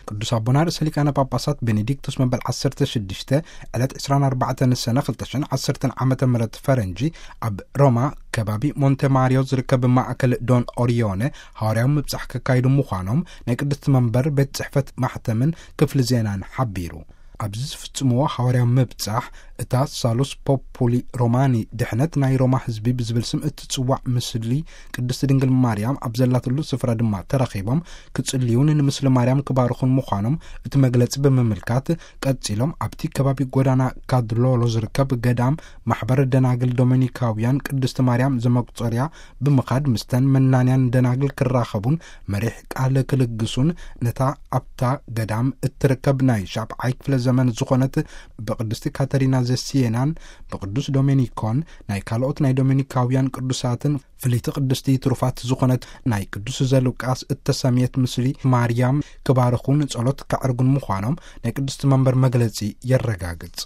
ቅዱስ ኣቦና ርእሰ ሊቃነ ጳጳሳት ቤኔዲክቱስ መበል ዓሰርተ ሽዱሽተ ዕለት ዕስራን ኣርባዕተን ሰነ ክልተ ሽሕን ዓሰርተን ዓመተ ምህረት ፈረንጂ ኣብ ሮማ ከባቢ ሞንተ ማሪዮ ዝርከብ ማእከል ዶን ኦሪዮነ ሃዋርያዊ ምብጻሕ ከካይዱ ምዃኖም ናይ ቅድስቲ መንበር ቤት ጽሕፈት ማሕተምን ክፍሊ ዜናን ሓቢሩ። ኣብዚ ዝፍጽምዎ ሃዋርያዊ ምብጻሕ እታ ሳሉስ ፖፑሊ ሮማኒ ድሕነት ናይ ሮማ ህዝቢ ብዝብል ስም እትጽዋዕ ምስሊ ቅድስቲ ድንግል ማርያም ኣብ ዘላትሉ ስፍራ ድማ ተረኺቦም ክጽልዩን ንምስሊ ማርያም ክባርኹን ምዃኖም እቲ መግለጺ ብምምልካት ቀጺሎም ኣብቲ ከባቢ ጎዳና ካድሎሎ ዝርከብ ገዳም ማሕበር ደናግል ዶሚኒካውያን ቅድስቲ ማርያም ዘመቁጸርያ ብምኻድ ምስተን መናንያን ደናግል ክራኸቡን መሪሕ ቃል ክልግሱን ነታ ኣብታ ገዳም እትርከብ ናይ ሻብዓይ ክፍለ ዘመን ዝኾነት ብቅድስቲ ካተሪና ዘሲየናን ብቅዱስ ዶሜኒኮን ናይ ካልኦት ናይ ዶሜኒካውያን ቅዱሳትን ፍልይቲ ቅድስቲ ትሩፋት ዝኾነት ናይ ቅዱስ ዘሉቃስ እተሰምየት ምስሊ ማርያም ክባርኹን ጸሎት ከዕርጉን ምዃኖም ናይ ቅድስቲ መንበር መግለጺ የረጋግጽ።